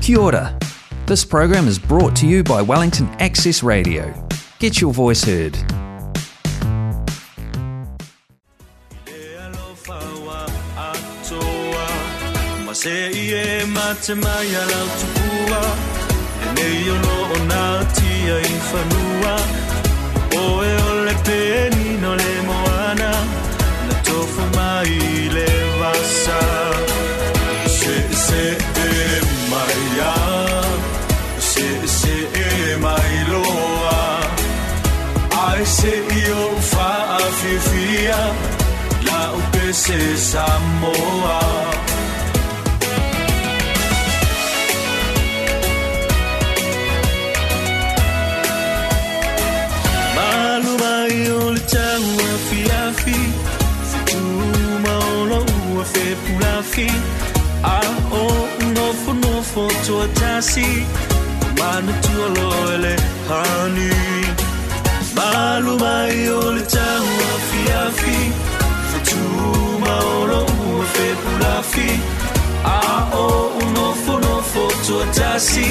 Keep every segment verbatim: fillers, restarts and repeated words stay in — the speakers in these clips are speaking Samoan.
Kia ora. This program is brought to you by Wellington Access Radio. Get your voice heard. Se Samoa. Malu mai o le tau afiafi, fituma o lo ua fepulafi, a o nofo nofo tuatasi, manu tua loele hani. Malu mai o le tau afiafi, olo ua fepulafi, a o unofo nofo tuatasi,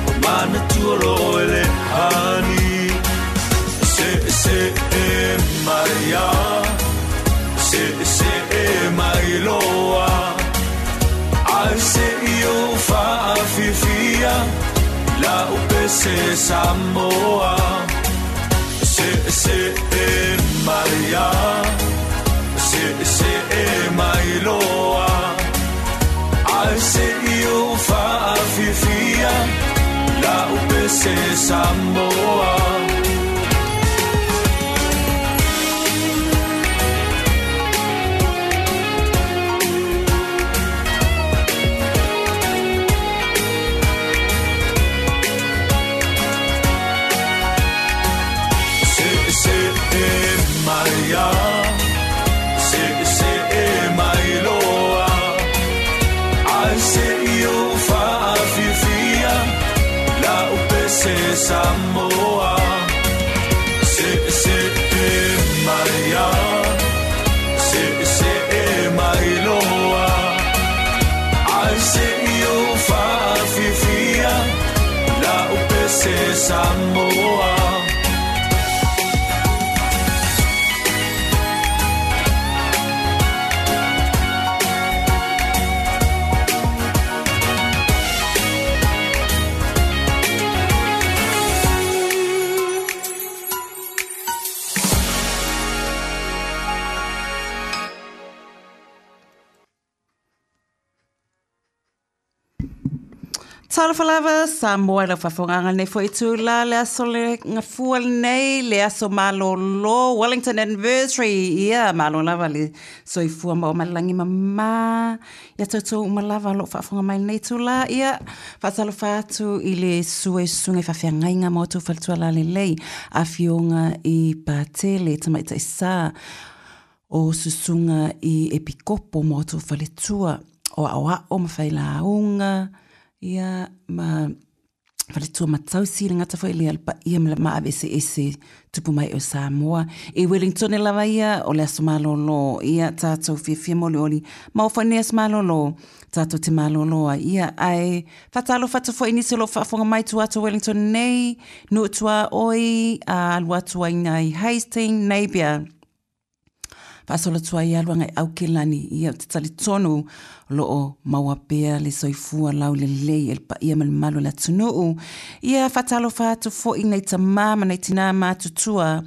o mana tualo ele hani. Se se e maia, se se e mailoa, ai se i o faafifia, la upese Samoa. Se se e maia, se se e mailoa, ai se i o faafifia, la upese Samoa. Se se e maia, se se e mailoa, ai se i o faafifia, la upese Samoa. Se se e maia, se se e mailoa, ai se i o faafifia, la upese Samoa. Talofa lava, Samoa lau faafogaga nei foi tula le aso le gafua lenei le aso malolo Wellington Anniversary. Ia malo lava le soifua ma o malagi mamā ia toutou uma lava o loo faafofoga mai lenei tula. Ia faatalofa atu i le sue susuga i faafeagaiga ma outou faletua lalelei afioga i Patele Tamaitaisā o susuga i Epikopo ma outou faletua o aoao ma failauga ia ma faletua matausi le gata foi le alpaia ma le maavese tupu mai o Samoa. I Wellington lava ia o le aso malolo ia tatou fiafia molioli ma o foi nei aso malolo tatou te malolo ai ia ae faatalofa atu foi nisi o loo faafofoga mai tua atu Wellington nei nuu tuaoi a alu atu ai nai Hastings Napier faasolo atu ai alu agai Aukelani ia o te talitonu o loo maua pea le soifua laulelei e le paia ma le malu o le atunuu. Ia faatalofa atu foi nai tamā ma nai tinā matutua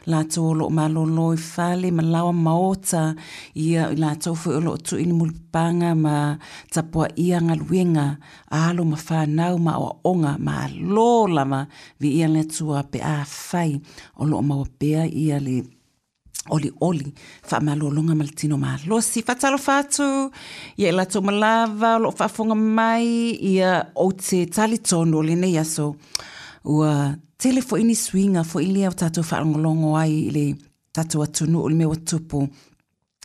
latou o loo malolo i fale ma laoa maota ia i latou foi o loo tuu i le mulipapaga ma tapuaia galuega alo ma fanau ma aoaoga malo lava viia le Atua pe afai o loo maua pea ia le oli oli faamalologa ma le tino malosi. Faatalofa atu ia i latou malava o loo faafofoga mai ia ou te talitonu o lenei aso ua tele foi ni suiga foi lea o tatou faalogologo ai i le tatou atunuu o le mea ua tupu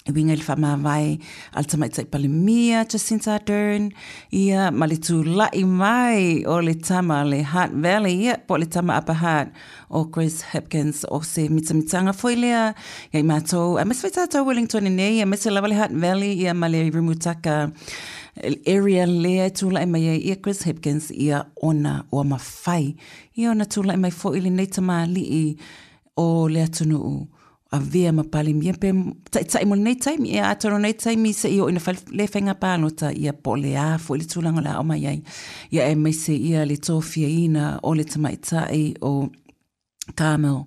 e uiga i le faamavae a le tamaitai Palemia Jacinta Ardern ia ma le tula'i mai o le tama le Hutt Valley ia po o le tama Upper Hutt o Chris Hipkins o se mitamitaga foi lea ia i matou aemaise foi tatou Wellington nei aemaise lava le Hutt Valley ia ma le Rimutaka area lea e tula'i mai ai ia Chris Hipkins ia ona ua mafai ia ona tula'i mai fo'i lenei tamali'i o le atunu'u avea ma Palemia pe taʻitaʻi mo lenei taimi ia atonu nei taimi seʻi oo ina fai le faiga palota ia po o le a foʻi le tulaga o le a oo mai ai ia aemaise ia le tofiaina o le tamaitaʻi o Carmel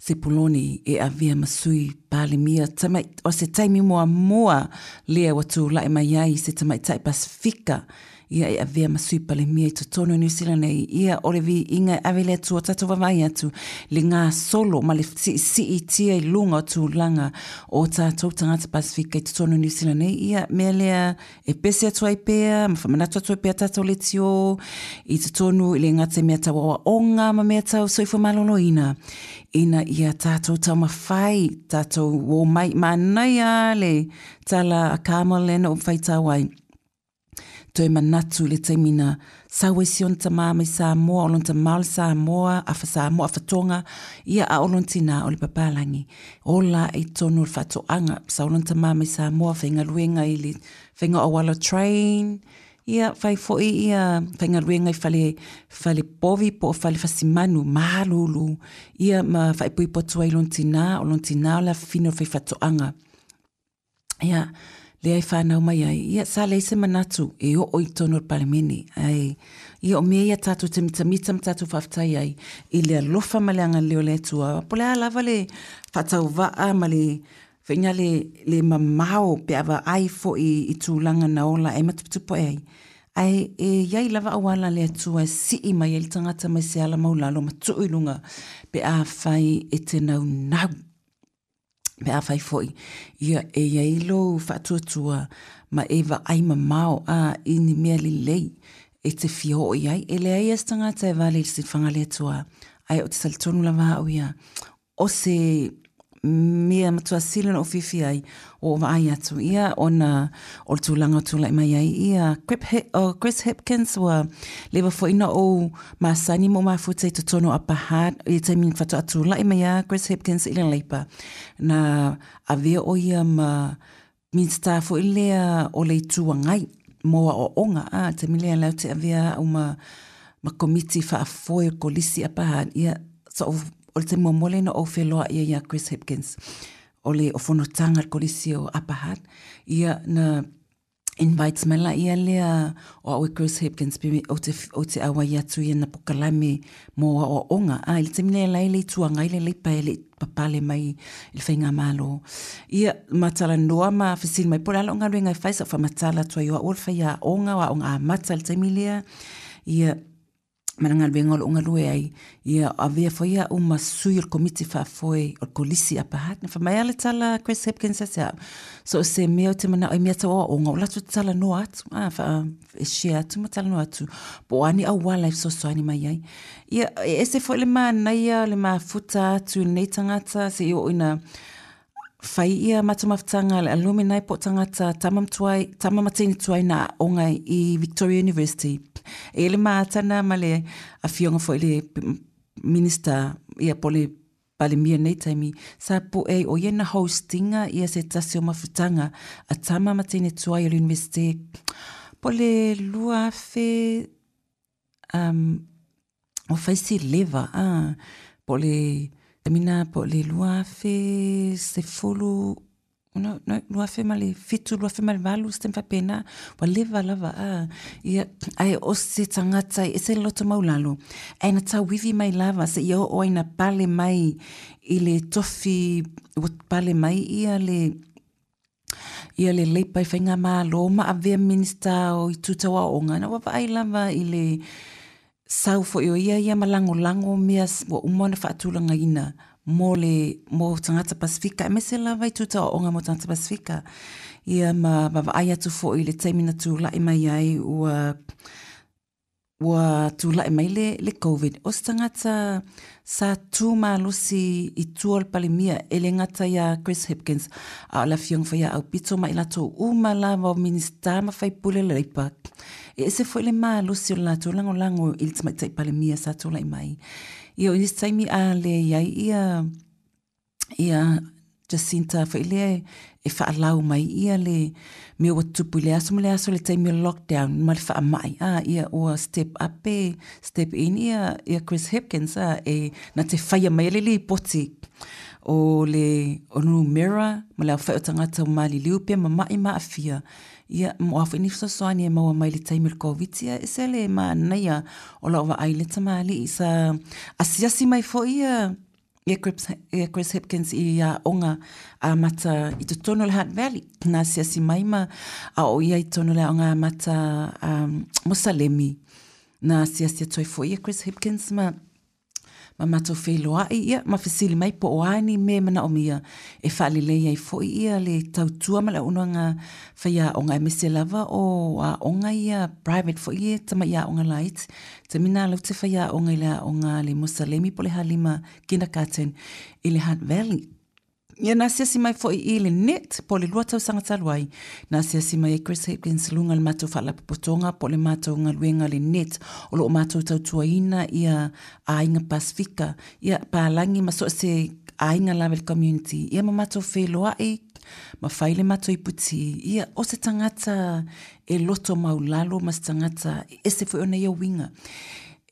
Sepuloni e avea ma sui Palemia tamai o se taimi muamua lea ua tula'i mai ai se tamaitaʻi Pasifika ia e avea ma sui Palemia i totonu o Niu Sila nei ia o le viiga e ave le Atua tatou vaavaai atu le gasolo ma le siisiitia i luga o tulaga o tatou tagata Pasifika i totonu o Niu Sila nei ia mea lea e pese atu ai pea ma faamanatu atu ai pea tatou leitio i totonu i le gata i mea tau aoaoga ma mea tau soifua maloloina ina ia tatou taumafai tatou o mai manaia le tala a Carmel lea na ou faitau ai toe manatu i le taimi na sau ai si ona tamā mai Samoa o lona tamā o le Samoa afa Samoa afa Toga ia a o lona tinā o le papalagi ola i totonu o le faatoaga sau lona tamā mai Samoa faigaluega i le faiga o auala train ia fai foʻi ia faigaluega i fale fale povi po o fale fasimanu malulu ia ma faaipoipo atu ai lona tinā o lona tinā o le afafine o le faifaatoaga ia lea e fanau mai ai ia sa leai se manatu e oo i totonu o le Palemene ae ia o mea ia tatou te mitamita ma tatou faafetai ai i le alofa ma le agalelei o le Atua po o le a lava le faatauvaa ma le faiga le, le mamao pe a vaai foʻi i tulaga na ola ai ma tuputupu ai ae e iai lava auala le Atua e sii mai ai le tagata mai se ala maulalo ma tuu i luga pe a fai e te naunau pe a fai foʻi ia e iai lou faatuatua ma e vaai mamao a i ni mea lelei e te fia oo i ai e leai a se tagata e vale i le silafaga a le Atua ae o te talitonu lava au ia o se mea matuasili ona ou fiafia ai ua ou vaai atu ia ona o le tulaga o tulaʻi mai ai ia Chris Hipkins ua leva foʻi na ou masani ma ou mafuta i totonu o Upper Hutt i le taimi na faatoa tulaʻi mai a Chris Hipkins i le Labour na avea o ia ma Minisita foʻi lea o le Itu Agai mo aoaoga a taimi lea lea ou te avea au ma ma komiti faafoe o kolisi Upper Hutt ia so o le taimi muamua lea na ou feloai ai ia Chris Hipkins o le o fonotaga le kolisi o Upper Hutt ia na invite mai laia lea o au e Chris Hipkins pe ou te, ou te auai atu ia na pokalame mo aoaoga a i le taimi lea la e le Itu Agai le Leipa e le papale mai i le faigamalo ia matalanoa ma fesili mai po o le a lou galuega e fai sa ou faamatala atu ai o au o le faiaoga o aoga amata i le taimi lea ia ma le galuega o loo galue ai ia avea foi au ma sui o le komiti faafoe o le kolisi Upper Hutt na faamai a le tala Chris Hipkins ia te au so o se mea o te manao i mea tau aoaoga o latou talanoa atu a faa e share atu ma talanoa atu po o a ni auala e fesoasoani mai ai ia e ese foi le manaia le mafuta atu i lenei tagata seia oo ina fai ia matou mafutaga le alumni po o tagata tama ma tuai tama ma teine tuai na aoga i Victoria University e le matana ma le afioga foi le Minister ia po o le Palemia nei taimi sa po'e ai o ia na hostinga ia se tasi o mafutaga a tama ma teine tuai o le University po o le lua afe um, o fai si leva a po o le taimi na po o le lua afe sefulu no, no, lua afe ma le fitu lua afe ma le valu se taimi faapena ua leva lava a ia ae o se tagata e ese le loto maulalo ae na tauivi mai lava seia oo ai na pale mai i le tofi ua pale mai ia le ia le Leipa i faigamalo ma avea Minista o itu tau aoaoga na ua vaai lava i le sau foi o ia ia ma lagolago mea ua uma ona faatulagaina mo le mo tagata Pasifika aemaise lava itu tau aoaoga mo tagata Pasifika ia ma vaavaai atu foi i le taimi na tulaʻi mai ai ua ua tulaʻi mai le, le COVID o se tagata sa tu malosi i tua o le Palemia e le gata iā Chris Hipkins a o le afioga foi ia Aupito ma i latou uma lava o Minista ma faipule le Leipa e ese foi le malosi o le latou lagolago i le tamaitai Palemia sa tulaʻi mai ia o nisi taimi a le iai ia ia Jacinta foi lea e faalau mai ia le mea ua tupu i le aso ma le aso le taimi o lockdown ma le faamai a ia ua step up e step in ia ia Chris Hipkins a e na te whaia mai le lipoti o le o numera ma le awhai o tangata o mali liu pea ma mai ma afia ia mo a ni fesoasoani e maua mai le taimi o le COVID ia e se le manaia o lau vaai le tamalii sa asiasi mai foi ia ia Chris, ia Chris Hipkins i aoga amata i totonu o le Hutt Valley na asiasi mai ma a o ia i totonu o le aoga amata um, Mosalemi na asiasi atu ai foi ia Chris Hipkins ma ma matou feiloai ia ma fesili mai po o a ni mea manaomia e faalelei ai foi ia le tautua ma le auaunaga faiaoga aemaise lava o aoga ia private foi ia tama'i aoga laiti taimi na lau te faiaoga i le aoga le Mosalemi po o le Halima Kindergarten i le Hutt Valley. Ia na asiasi mai foi i le net po o le lua tausaga talu ai na asiasi mai ai Chris Hipkins luga le matou faalapotopotoga po o le matou galuega le net o loo matou tautuaina ia aiga Pasifika ia palagi ma so o se aiga lava i le community ia ma matou feiloai ma fai le matou iputi ia o se tagata e loto maulalo ma se tagata e ese foi ona ia uiga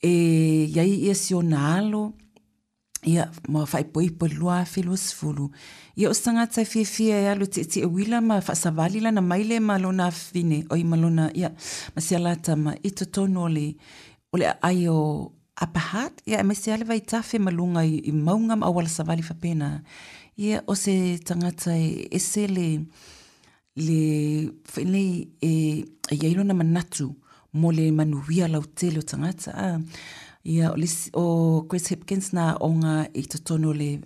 e iai ia si ona alo ia ma faaipoipo i le lua afe luasefulu ia o se tagata e fiafia e alu e tietie uila ma faasavali lana maile ma lona afafine oi ma lona ia ma si alatama i totonu o le o le aai o Upper Hutt ia aemaise lava le vaitafe ma luga i, i mauga ma auala savali faapena ia o se tagata e ese le le foi nei e e iai lona manatu mo le manuia lautele o tagata a ia o le isi o Chris Hipkins na aoga i totonu o le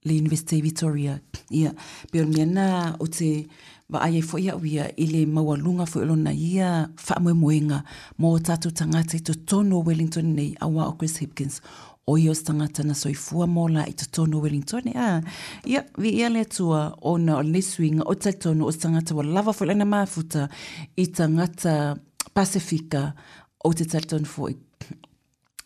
le University Victoria ia pei o le mea lena ou te vaai ai foi au ia i le maualuga foi o lona ia faamoemoega mo o tatou tagata i totonu o Wellington nei auā o Chris Hipkins o ia o se tagata na soifua ma ola i totonu o Wellington a ia viia le Atua ona o lenei suiga o talitonu o se tagata ua lava foi lana mafuta i tagata Pasifika ou te talitonu foi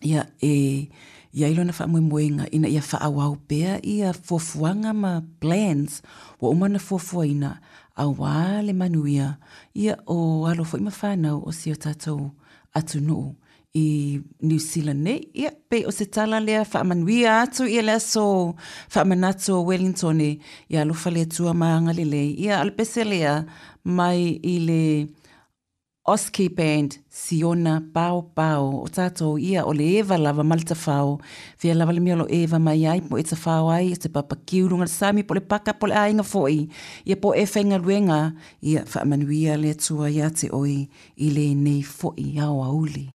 ia e iai lona faamoemoega ina ia faaauau pea ia fuafuaga ma plans ua uma ona fuafuaina auā le manuia ia o alo foi ma fanau o si o tatou atunuu i New Zealand nei ia pei o se tala lea faamanuia atu ia le aso faamanatu o Wellington ia alofa le Atua ma agalelei ia o le pese lea mai i le Oski Band Siona Pao Pao o tatou ia o le eva lava ma le tafao fia lava le mea o lo eva mai ai po e tafao ai o se papakiu luga le sami po o le paka po o le aiga foi ia po o e faigaluega ia faamanuia le Atua ia te oe i lenei foi aoauli.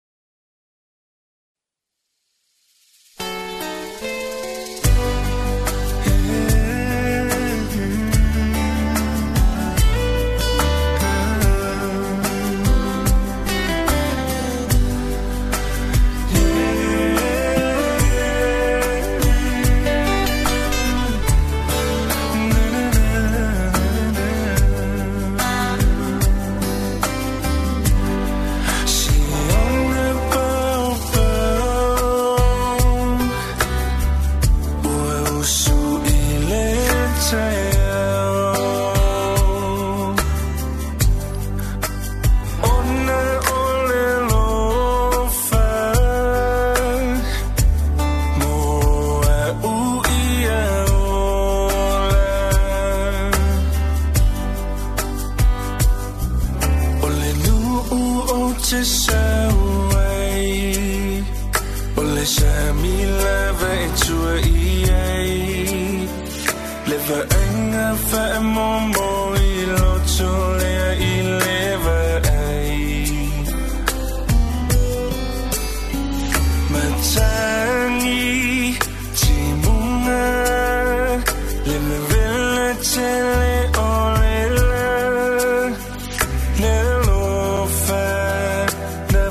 Na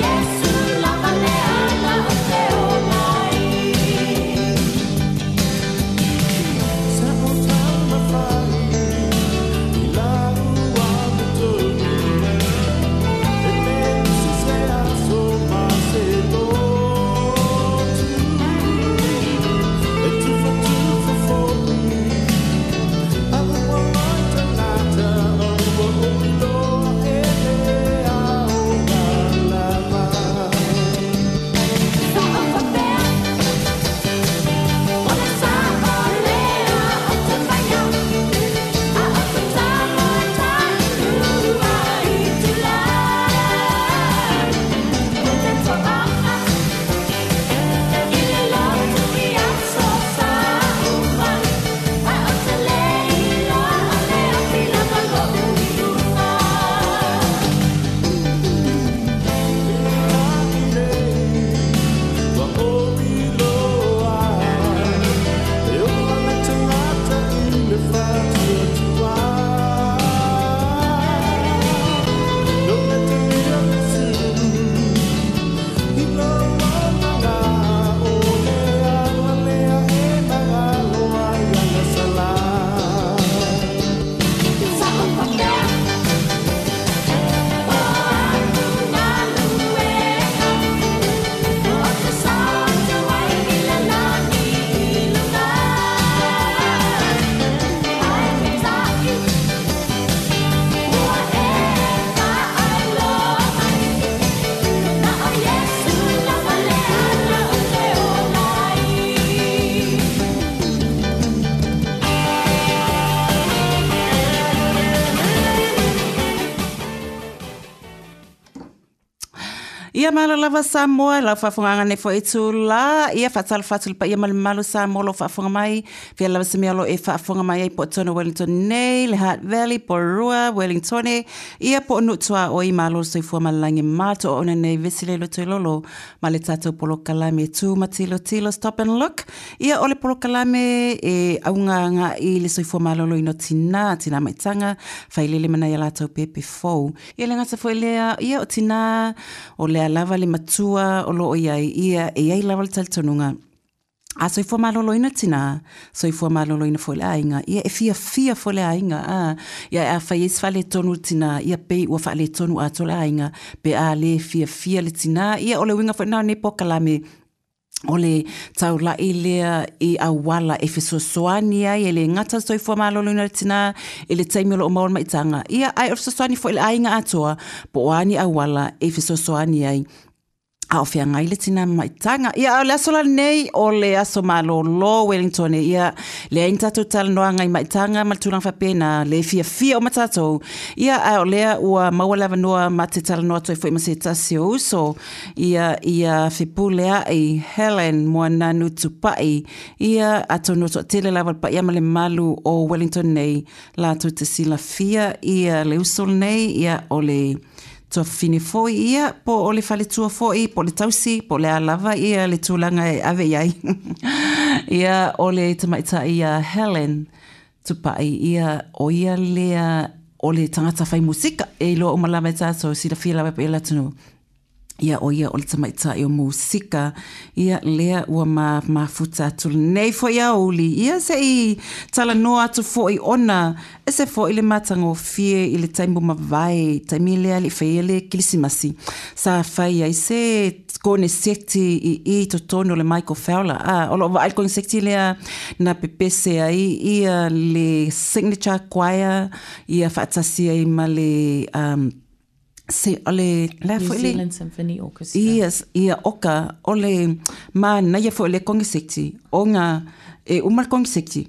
Yesu lava le ala o te o mai. Ia malo lava Samoa, lau faafofogaaga nei foi itulā, ia faatalofa atu i le paia ma le mamalu o Samoa o lo o faafofoga mai, fea lava se mea o lo o e faafofoga mai ai po o totonu o Wellington nei, le Hutt Valley, Porirua, Wellingtone, ia po o nuu tuaoi, malo le soifua ma le lagi e mama le toauauna nei vesi le lotoilolo ma le tatou polokalame Tu ma Tilotilo Stop and Look. Ia o le polokalame e auga agai i le soifua maloloina o tinā, tinā maitaga, failele ma nai a latou pepe fou. Ia le gata foi lea, ia o tinā, o lea lava le matua o lo o i ai, ia e i ai lava le talitonuga. A soifua maloloina tinā, soifua maloloina foi le aiga, ia e fiafia foi le aiga, a, ia a fai ai se faaletonu le tinā, ia pei ua faaletonu atoa le aiga, pe a lē fiafia le tinā, ia o le uiga foi lena o lenei polokalame, o le taulai lea i auala e fesoasoani ai e le gata le soifua maloloina o le tinā i le taimi o lo o maua le maitaga, ia ae o le fesoasoani foi i le aiga atoa, po o a ni auala e fesoasoani ai a o feagai le tinā ma maitaga. Ia, o le aso la lenei, o le aso malōlō Wellington, ia, leai ni tatou talanoaga i maitaga ma le tulaga faapena, le fiafia uma tatou. Ia, a o lea ua maua le avanoa ma te talanoa atu ai foi ma se tasi o uso, ia, ia Fepuleai Helen Moananu Tupai, ia, atonu o toatele lava le paia ma le mamalu o Wellington nei, latou te silafia ia le uso lenei, ia, o le tuafafine foi ia, po o le faletua foi, po o le tausi, po o le a lava ia le tulaga e ave i ai. Ia, o le tamaitai ia Helen Tupai, ia, o ia lea o le tagata fai musika, e iloa uma lava e tatou, silafia lava e le atunuu. Ia, o ia o le tamaitai o musika, ia lea ua ma mafuta atu lenei foi aoauli, ia se i talanoa atu foi ona ese foi le matagofie i le taimi ua mavae, taimi lea e le i faia le kilisimasi, sa fai ai se koneseti i i totonu o le Michael Fowler. A, o loo vaai le koneseti lea na pepese ai ia le Signature Choir, ia faatasi ai ma le um, se o le le New foi le Zealand Symphony Orchestra. Yes, ia oka o le manaia foi o le koneseti ona e uma le koneseti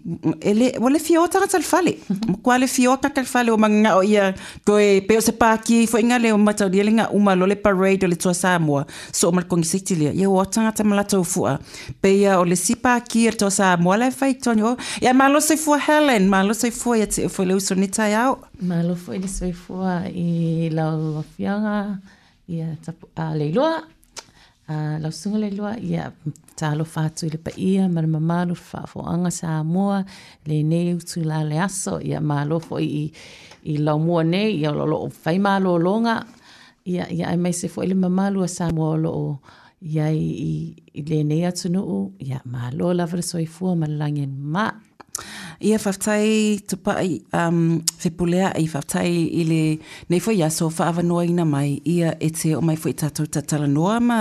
e le ua le fia o tagata i le fale matua le fia o tagata i le fale ua manao ia toe pei o se paki foi nga le o mataulia le ga uma loa le parade o le Toa Samoa soo ma le koneseti lea ia ua o tagata ma latou fua pei o le isi paki a le Toa Samoa la e fai i totonu o ia malo soifua Helen malo soifua ia te oe foi le uso i lenei taeao. Malo foi le soifua i lau afioga ia tapu, a Leiloa, a lau susuga Leiloa, ia talofa atu i le paia ma le mamalu le faafofoga Samoa, lenei itula le aso, ia malo foi i, i laumua nei, ia o lo o fai malologa, ia, ia aemaise foi le mamalu a Samoa o lo o iai i, i lenei atunuu, ia malo lava le soifua ma le lagi e mama. Ia faafetai Tupai um, Fepuleai, faafetai i le nei foi aso faaavanoaina mai ia e te oo mai foi i tatou tatalanoa ma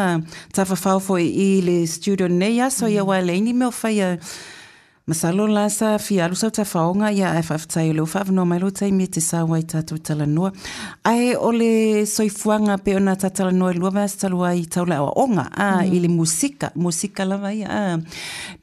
tafafao foi i le studio nei aso ia aua e leai ni mea o faia masalo la sa fia alu sau tafaoga ia ae faafetai o lea ua faaavanoa mai lou taimi e te sau ai tatou talanoa. Ae o le soifuaga pei ona tatalanoa i lua vaiaso talu ai tau le aoaoga a i le musika, musika lava ia a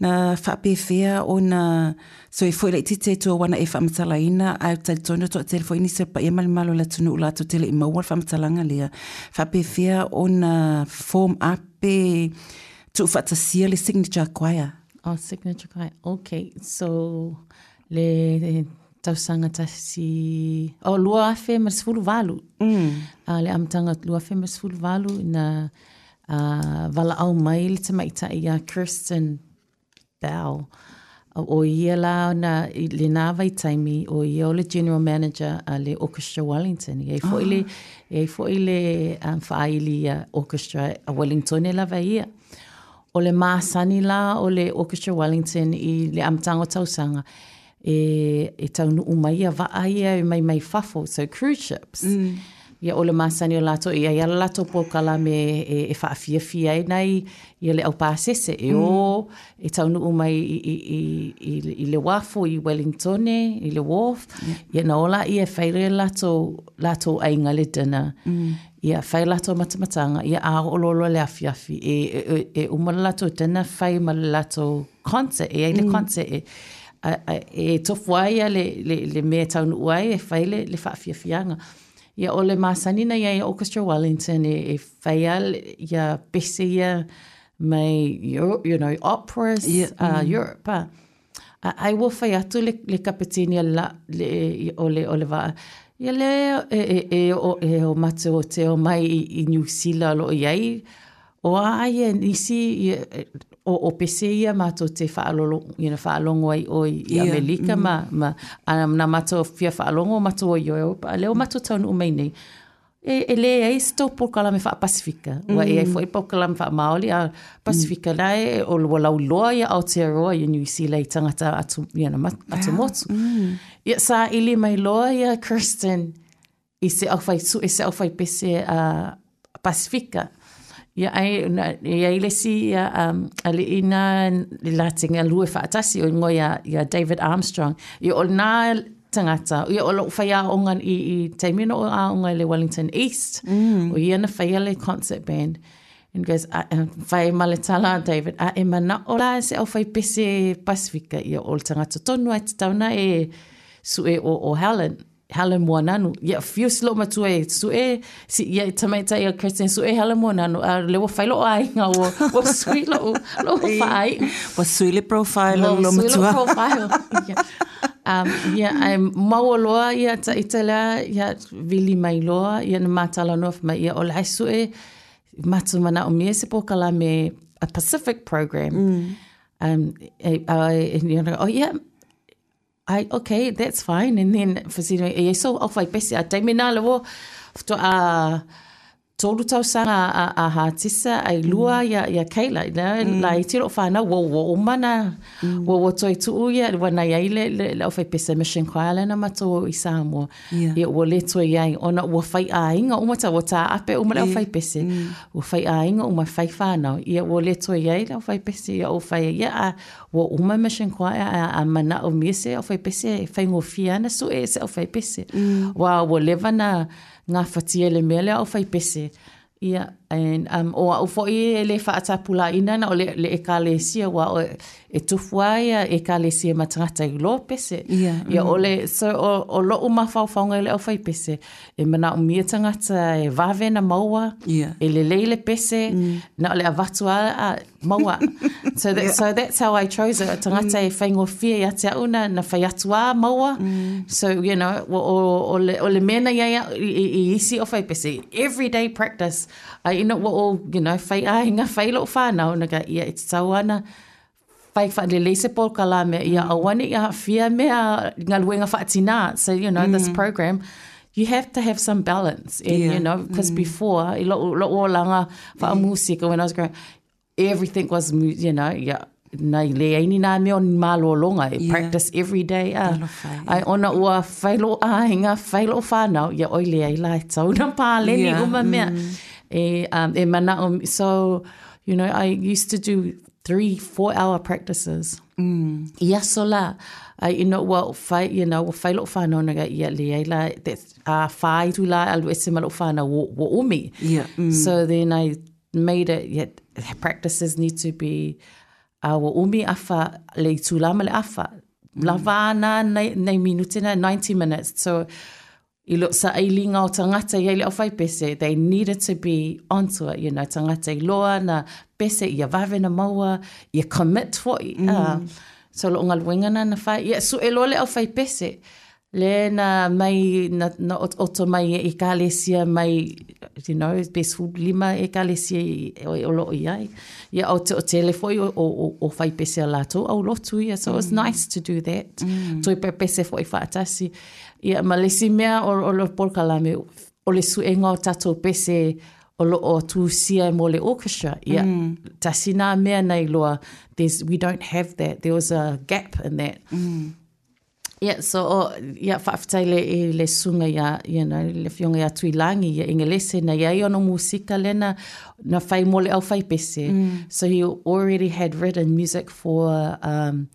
na faapefea ona soifua laitiiti ai tua ua na e faamatalaina ae ou talitonu e toatele foi nisi o le paia ma le mamalu o le atunuu latou te le i maua le faamatalaga lea. Faapefea ona form up pe tuufaatasia le Signature Choir. Oh, Signature Choir. Okay, so le tausaga tasi oh lua afe ma le sefulu valu. Mm. Uh, le amataga lua afe ma le sefulu valu na uh, valaau mai le tamaitai ia Kirsten Bell. O ia la na i lena vaitaimi o ia o le general manager a le Orchestra Wellington. Ia foi le ia foi le um, faaili ia Orchestra a Wellington e lava ia. O le masani la o le Orchestra Wellington i le amataga o tausaga e, e taunuu mai ia vaa ia e mai mai fafo, so cruise ships. Mm. Ia o le masani o latou, ia ia le latou polokalame e, e faafiafia ai nai ia le aupasese e o e taunuu mai i, i, i, i, i le uafu i Wellington i le wharf. Ia na o laia e fai le latou, latou aiga le dinner. Mm. Ia fai latou matamataga, ia a oo loa le afiafi e, e, e, e uma le latou dinner fai ma le latou concert, e ai le concert e, a, a, e tofu ai ia le, le, le mea e taunuu ai e fai le, le faafiafiaga. Ia o le masani na iai Orchestra Wellington e, e whaia ia pese ia mai, you know, operas, Yeah. uh, Europe. Ah. A, ai ua whai atu le, le kapetini a la, le, o le, o le vaa. Ia le e, e, e, o, e o matou o te o mai i, i New Zealand lo iai, o a ia nisi ia, o, o pese ia mātou te whaalolo, you know, whaalongo ai o i Ia, Amerika mm. ma, ma a, na mātou fia whaalongo mātou o i Europa, a leo mātou taunu mai nei. E, e le ai se tau pōkalame wha Pasifika. Mm. Wa e ai foi pōkalame wha Māori, a Pasifika mm. la e o ua lauloa ia Aotearoa ia New Zealand i tangata atu, you know, mat- atu motu. Mm. Ia sa ili mai loa ia Kirsten i se au whai su, i se au whai pese uh, Pasifika. Ia ai, na, ia i lesi ia, um, ali ina le latinga lue whaatasi o ingoa ia, ia David Armstrong. Ia o nā tangata, ia o lou whai aonga i, i taimino o aonga i le Wellington East. Mm. O ia na whaia le concert band. And goes, a, a, whai maletala David, a e mana o la se au whai pese Pasifika. Ia o le tangata tonu ai te tauna e sue o, o Helen. Helen Moananu. Ia fiu si lo matua e sue, si, ia tamaita ia Kirsten sue Helen Moananu. A lewa whai lo ai ngā ua, ua sui lo, lo whai. Ua sui le profile o Ua lo sui lo matua. profile. Yeah. Um, ia, ai maua loa ia ta itala, ia vili mai loa, ia na mātala noa mai, ia o le ai sue, matu mana o mia se pōkala me a Pacific program. Mm. Um, e, e, e, you know, oh yeah, I, okay, that's fine. And then, fasino, e so au whai pese, a taimi nā le wo, to a tolu tausanga a, a, a Hatisa, ai lua mm. ia, ia Kayla, na, mm. la i tiro whanau, wo, wo umana, mm. wo, wo toi tuu ia, wa nai ai le, le, le au whai pese Mission Choir na matou i Samoa. Yeah. Ia, ua le toi ai, ona ua whai āinga, uma ta, ua tā ape uma le au whai pese. Mm. Ua whai āinga, uma whai whanau. Ia, ua le toi ai le au whai pese, ia, o whai, ia, a, ua uma Mission Choir, a, a mana o mia se au whai pese, whai ngofia ana su e se au whai pese. Mm. Wa, ua leva na, ngā whatia le mea le au whai pese. Ia, and, um, o au foi e le whaatapula ina na o le, le ekalesia wa o e tufua ia ekalesia matangata i lo pese. Ia, Ia o le, so o, o lo umawhauwhaunga i le au whai pese. E mana o mia tangata e wawe na maua, Ia. e le leile pese, mm. na o le avatua a maua. So, that, yeah. so that's how I chose it. Tangata mm. e whaingofia ia te au na, na whai atua maua. Mm. So, you know, o, o, o, le, o le mena ia ia i, i, i isi o whai pese. Everyday practice. Ai ina ua o, you know, whai ahinga, whai lo whanau, na ka ia e te tau ana, whai whalele se pōkala mea, ia awane ia whia mea ngā luenga whaatina. So, you know, mm. this program, you have to have some balance. And, Yeah. you know, because mm. before, i lo, lo o langa whaamusika when I was growing, everything was, mu- you know, yeah, na i le aini nā mea o ni mālolonga, e Yeah. practice every day. Ah. Talofa, Ai ona ua whailo āhinga, whailo whānau, ia oi le ai lai tau na pāleni Yeah, uma mea. E, um, e mana o, so, you know, I used to do three, four hour practices. Mm. Ia so la, ai ina ua whai, you know, ua whailo whānau na ia le ai la, that, uh, whai tu la alu ese malo whānau wo, wo umi. Yeah, mm. So then I made it, yeah, practices need to be, uh, ua umi afa, le tūlama le afa. Mm. Lava na, nei, nei minute na, ninety minutes. So, i lo sa ailinga o tangata i le au whai pese, they needed to be onto it, you know, tangata i loa na pese, ia wawe na maua, ia commit foi. Mm. Uh, so lo ngaluenga na na whai, ia su e loa le au whai pese, le na mai, na, na ot- oto mai e ekalesia mai, you know, pe lima ekalesia i, o, o lo i ai. Ia o te o tele foi o, o, o, o whai pese a lātou, au lotu ia, so mm. it's nice to do that. Mm. Toi pe pese foi whaatasi. Ia, ma lesi mea o, o lo pōkalame, o le suenga o tātou pese o lo o tūsia mo le orchestra. Ia, mm. tasi nā mea nei loa, there's, we don't have that. There was a gap in that. Mm. Yeah, so o, ia whaaftai le, i le sunga ia, you know, le fionga ia Tuilangi, ia Ingelese, na ia i ono musika lena, na whai mo le au whai pese. Mm. So he already had written music for um,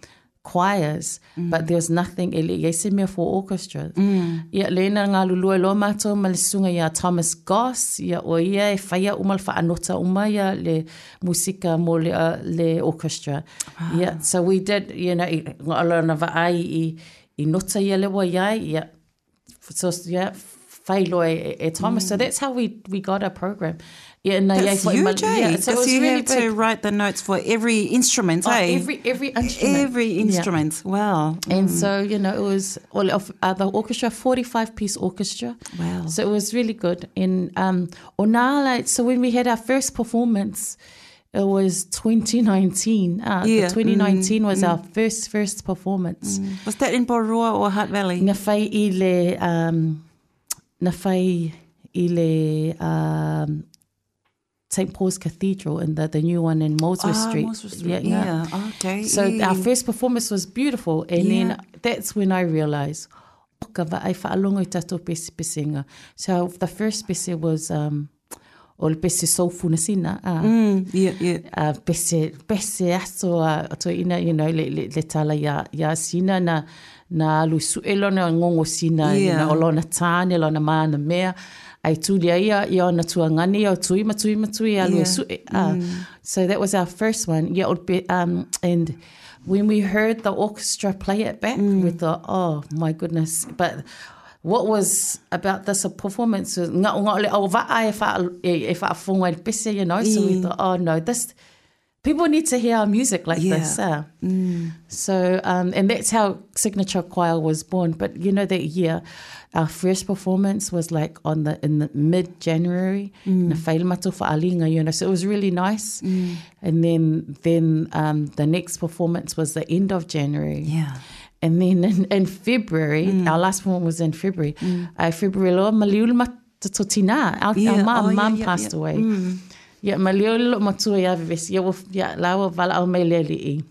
choirs, mm. but there was nothing, e le ia se mea for orchestra. Mm. Ia lena ngā lulua loa mātou ma le sunga ia Thomas Goss, ia o ia e whaia uma le whaanota uma ia le musika mo le, uh, le orchestra. Wow. Yeah, so we did, you know, i, ngā na vaai i, i nota ia lewa iai, ia, so, ia, whailoa e, e Thomas. Mm. So that's how we, we got our program. Yeah, na That's huge, eh? Yeah, so it Because was you really have to big. write the notes for every instrument, Oh, eh? every, every instrument. Every Yeah. instrument. Wow. And so, you know, it was all of uh, the orchestra, forty-five piece orchestra. Wow. So it was really good. And um, o nā, so when we had our first performance, it was twenty nineteen. Uh, Yeah. The twenty nineteen was our first, first performance. Was that in Porirua or Hutt Valley? Na whai i le, um, na whai i le, um, Saint Paul's Cathedral, in the, the new one in Molesworth Ah, Street. Molesworth Street. Yeah, Yeah. Okay. So yeah. our first performance was beautiful. And Yeah. then that's when I realised, oh, ka vaai whaalongo i tātou pese pesenga. So the first pese was, um, o le pese soufuna sina. Uh, Mm, yeah, yeah. uh, pese, pese aso a to ina, you know, le, le, le tala ia, ia sina na, na alu su'e lona ngongo sina, you Yeah. know, o lona tāne, lona mana mea. Ai tūlia ia, ia ona tuangani, ia o tui ma tui ma tui, alu Yeah. e su'e. Uh, So that was our first one. Yeah, o pe, um, and when we heard the orchestra play it back, we thought, oh my goodness. But what was about this performance was ngā o ngā o le au va'a e wha, e, e whaafonga i le pese, you know, so we thought, oh no, this, people need to hear our music like Yeah. this. Uh. So, um, and that's how Signature Choir was born. But you know, that year, our first performance was like on the in the mid-January. Na whaile matou whaalinga, you know, so it was really nice. And then, then um, the next performance was the end of January. Yeah. And then in, in February, our last one was in February. Uh, February loa, maliu le matatotina. Our, Yeah. our mum, Oh, yeah, mum yeah, passed yeah. away. Yeah, maliu le matua ia vevesi. Ia, ia, laua wala au mai le li'i.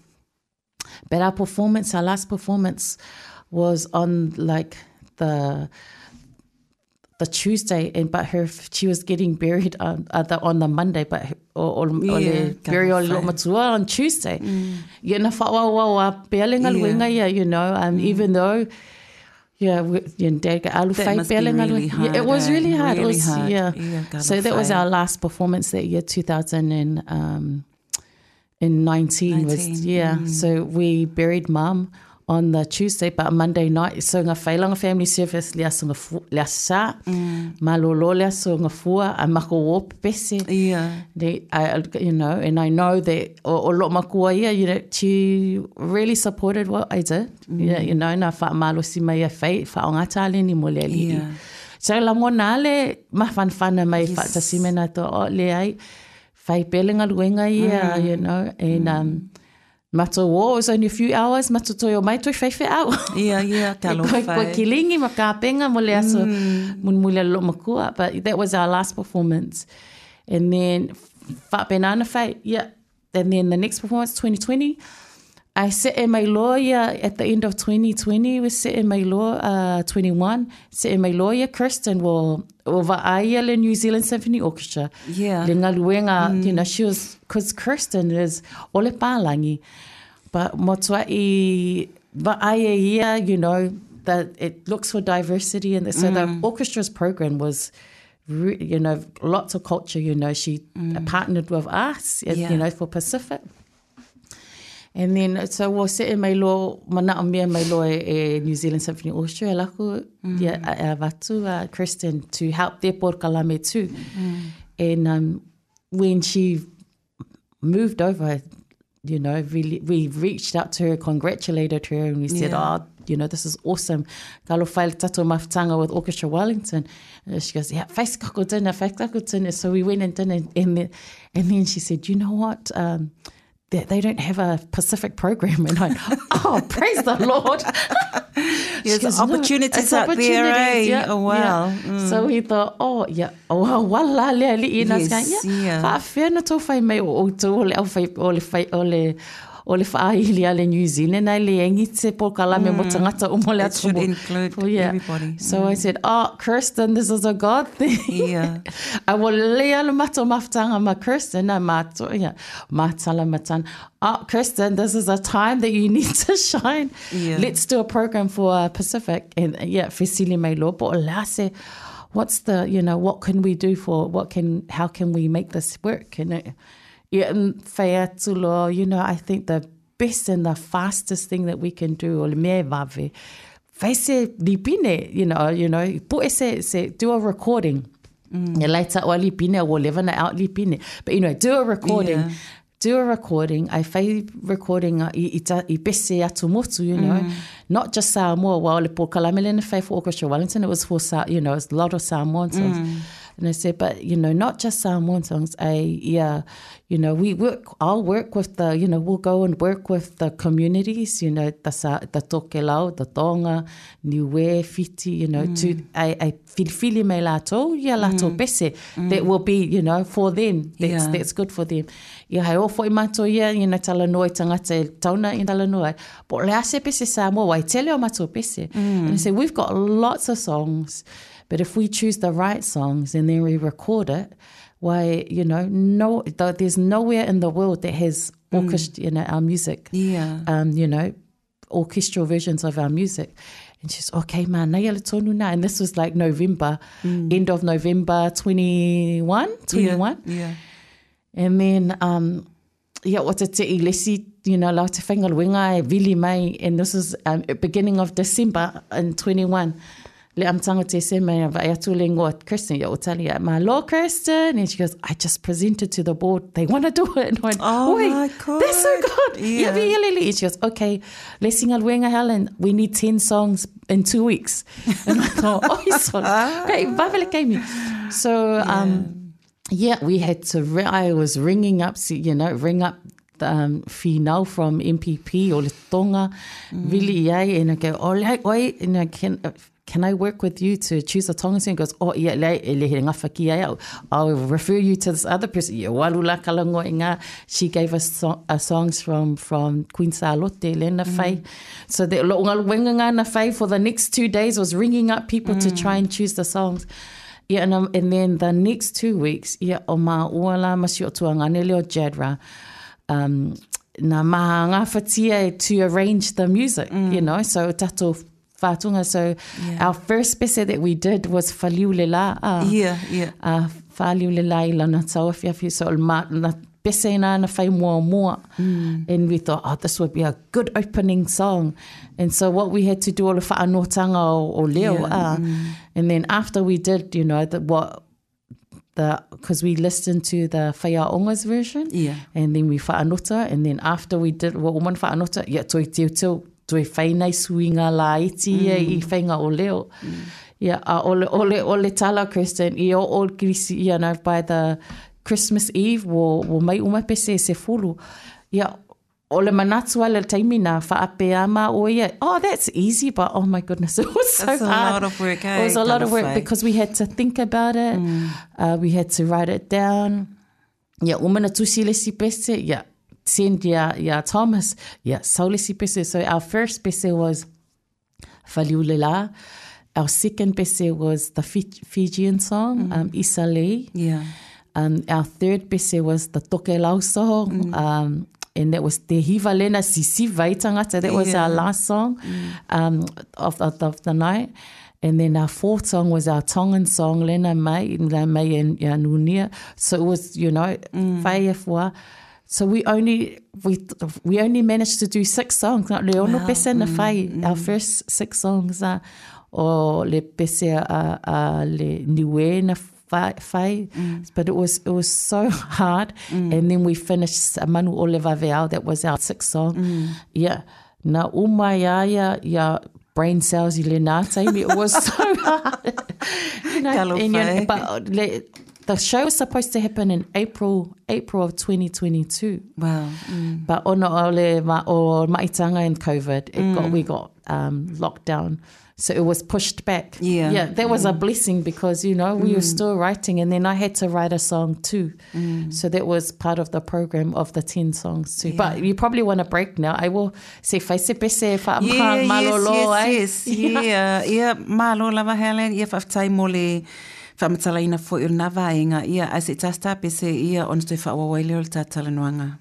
But our performance, our last performance was on like the the Tuesday, and but her she was getting buried on uh, the, on the Monday, but her- o, o, o Yeah, le burial ka lo matua on Tuesday. Yeah, na whaawaawa pea le ngaluenga ia, you know, um, even though yeah, we, you know, Dad alu That fai must be pea le really ngaluenga. Yeah, it hard, was eh? really hard. It Really was, hard. yeah. Yeah, ka So that was fai. our last performance that year, two thousand and um, in nineteen was nineteen, yeah. So we buried Mum on the Tuesday, but Monday night, so ngā whailanga family service le aso ngā fu, le aso sa, malolo le aso ngā fua, a mako o pese. Yeah. They, I, you know, and I know that o, o lo makua ia, you know, she really supported what I did. Yeah, you know, na wha malosi mai a whai, wha o ngā tāleni mo le ali'i. Yeah. So la ngona le mafanfana mai Yes. wha tasime na to o le ai, whai pele ngā luenga ia, you know, and um, mato o, it was only a few hours, mato toi o mai toi whaiwhe au. Yeah, yeah, ka Koe, koe whai. kilingi ma ka penga mo le aso mun muli lo makua. But that was our last performance. And then whaapenana whai, yeah. And then the next performance, twenty twenty, I sit in my lawyer at the end of twenty twenty, we sit in my law, uh, twenty-one, sit in my lawyer, Kirsten, will, will va'aia le New Zealand Symphony Orchestra. Yeah. Le ngaluenga, you know, she was, 'cause Kirsten is ole pālangi, but motua i va'aia ia, you know, that it looks for diversity. And so the Mm. orchestra's program was, re-, you know, lots of culture, you know, she Mm. partnered with us, you Yeah. know, for Pacific. And then, so we'll sit in my law, mana o mea mai loa e New Zealand Symphony Orchestra, laku, Mm. yeah, a, a vatu, uh, Kirsten, to help their porkalame too. Mm. And, um, when she moved over, you know, really, we reached out to her, congratulated her, and we said, Yeah. oh, you know, this is awesome. Kalo whaile tato mafutanga with Orchestra Wellington. And she goes, yeah, face kako dinner, face kako dinner. So we went and dinner, and then, and then she said, you know what? Um, they, they don't have a Pacific program. And I, oh, praise the Lord. There's She goes, no, opportunities it's out there, eh? opportunities, yeah, Oh, wow. yeah. Mm. So we thought, oh, yeah, oh, wala le ali. And I was Yes, going, yeah, yeah. Whaawhea na tō whai mai o o tō o le au whai, o le whai, o le, o le whaahili a le New Zealand ai le engi te po kalame mo tangata o mo le It should atu mo. include Oh, yeah. everybody. So I said, oh, Kirsten, this is a God thing. Yeah. I will lay ala mato maftanga ma Kirsten, na mato, yeah, matala matan. Oh, Kirsten, this is a time that you need to shine. Yeah. Let's do a program for, uh, Pacific. And, uh, yeah, Fesili mai lopo, o lase, what's the, you know, what can we do for, what can, how can we make this work? And it, yeah, and whai atu loa, you know, I think the best and the fastest thing that we can do, o le mea vave, Fai se lipine, you know, you know, put se, se, do a recording. Mm. Ya later o lipine, o leva na out lipine. But you know, do a recording. Yeah. Do a recording. I fai recording i, i, ta, i pese atu motu, you know. Mm. Not just Samoa, wa ole po kalamele na fai for Orchestra Wellington. It was for, you know, it was a lot of Samoan songs. Mm. And I said, but, you know, not just Samoan songs. I, yeah, you know, we work, I'll work with the, you know, we'll go and work with the communities, you know, the, the Tokelau, the Tonga, Niue, Fiti, you know, mm. to, I, I filifili me lātou, ia lātou mm. pese, mm. that will be, you know, for them. That's, yeah. that's good for them. Ia hai o foi mātou ia, you know, talanoa i tangata e tauna i talanoa. Po le ase pese Samoa, wai tele o mātou pese. Mm. And I said, we've got lots of songs. But if we choose the right songs and then we record it, why, you know, no, there's nowhere in the world that has orchestra, mm. you know, our music. Yeah. Um, you know, orchestral versions of our music. And she's, okay, man, na ia tonu na. And this was like November, mm. end of November twenty-one, twenty-one. Yeah, yeah. And then, um, yeah, o te te i lesi, you know, lau te whaingaluenga e vili mai. And this was um, beginning of December in twenty-one. Le amtanga te se mai vai atu le ingoa Kirsten, ia o tali ia, ma lo Kirsten. And she goes, I just presented to the board. They want to do it. And I went, oh oi, my God. That's so good. Yeah. And she goes, okay, lesingaluenga Helen, we need ten songs in two weeks. And I thought, oh, so, okay, vavele kaimi. So, um, yeah, we had to, re- I was ringing up, you know, ring up um, Finau from M P P or le Tonga, mm. really, yeah, and I go, oh, like, wait, and I can, uh, can I work with you to choose a Tongan song? He goes, oh, yeah, le, le, le, I'll refer you to this other person. She gave us so, uh, songs from, from Queen Salote, Lena mm. Fai. So the Fai for the next two days was ringing up people mm. to try and choose the songs. Yeah, and, um, and then the next two weeks, yeah, o ma uala masio tuangane leo Jadra, um, na maha ngā to arrange the music, mm. you know, so tato whātunga. So yeah. our first pese that we did was Faliulela. Uh, yeah, yeah. Uh, Faliulela i lana tauafiafi. So ma, na pese nā na whai mua mua. Mm. And we thought, oh, this would be a good opening song. And so what we had to do, all the whaanotanga o, o leo. Yeah. Uh, mm. And then after we did, you know, the, what, the, because we listened to the Whaiaonga's version. Yeah. And then we whaanota. And then after we did, wa oman whaanota, yeah, toi teo teo, toi whainai suinga la iti mm. i whainga o leo. Mm. Yeah, uh, ole, ole, ole tala, Kirsten, i o o krisi, you know, by the Christmas Eve, wo, wo mai uma pese se fulu. Yeah, ole manatu ale taimi na whaapeama o ia. Oh, that's easy, but oh my goodness, it was so that's hard. a lot of work, eh? It was a lot of work because we had to think about it. Mm. Uh, we had to write it down. Yeah, umana tusi lesi pese, yeah. Send ya, ya Thomas, yeah, saulesi pese. So our first pese was Faliulela. Our second pese was the Fijian song, mm. um, Isale. Yeah. Um, our third pese was the Tokelau song, mm. um, and that was Te Hiva Lena Sisi Vaitangata. That was yeah. our last song mm. um, of, of, of the night. And then our fourth song was our Tongan song, Lena Mai, Lena Mai and Nunia. So it was, you know, mm. Whaiafua. So we only we we only managed to do six songs. Not le ono wow. pese na whai. Mm, mm. Our first six songs are o le pese a, a le niue na whai. Mm. But it was it was so hard. Mm. And then we finished Manu Ole Vaveau. That was our sixth song. Mm. Yeah. Na umaya ya ya brain cells i le nā taimi. It was so hard. You know, and, you know, but le, the show was supposed to happen in April, April of twenty twenty-two. Wow. Mm. But ono ole ma o maitanga and COVID, it mm. got we got um, locked down. So it was pushed back. Yeah. Yeah, that was mm. a blessing because, you know, we mm. were still writing and then I had to write a song too. Mm. So that was part of the program of the ten songs too. Yeah. But you probably want a break now. I will say faise pese fa yeah, malolo. Yes, yes, yes. Yeah, yeah, malo lava Helen, yeah, whaftai mole. Whamatalaina fo i nā vaenga, ia, ai se tasta pese ia ona toi whaawawai leo le tātalanoanga.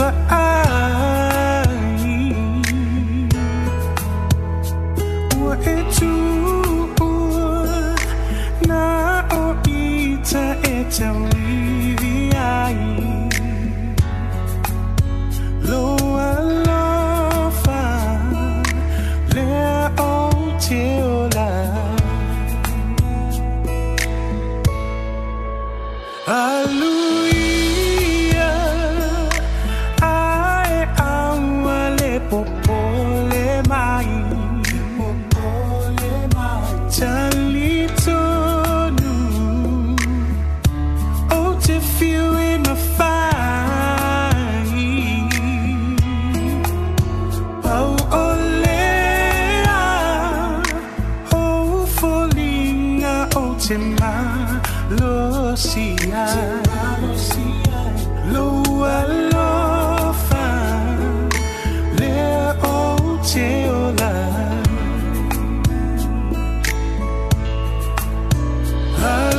Vaai Ua e tuua Na o ita e tauivi ai Lo alofa Lea o te ola Aluia Ae aua le popole mai Talitonu O te fiu e mawhai Pau o lea O folinga o te malosia Lo alofa Lea o te ola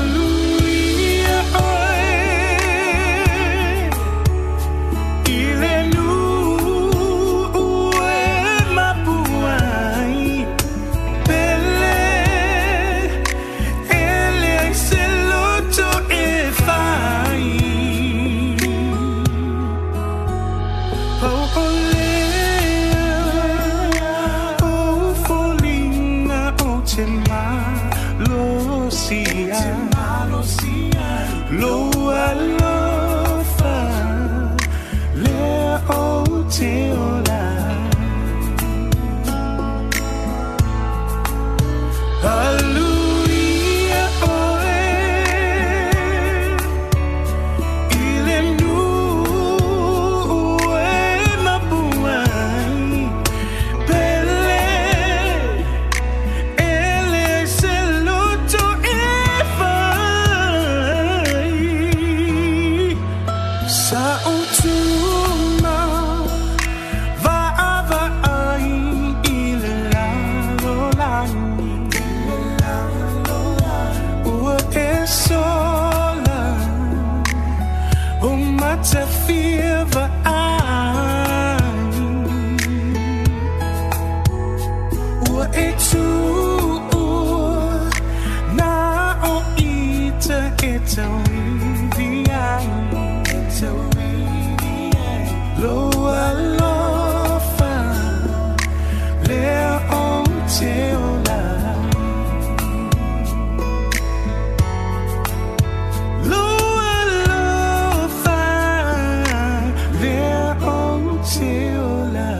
Aluia oe I le nuu e mapuai Pele Ele ai se loto e fai Pau o lea O folinga o te malosia Lo alofa Lea o te ola Aluia oe I le nuu e mapuai Pele Ele ai se loto e fai Sa o tuma Vaavaai i le lalolagi Ua e sola O matafia vaai Ua e tuua Na o ita e tauivi ai Lo alofa Lea o te ola Lo alofa Lea o te ola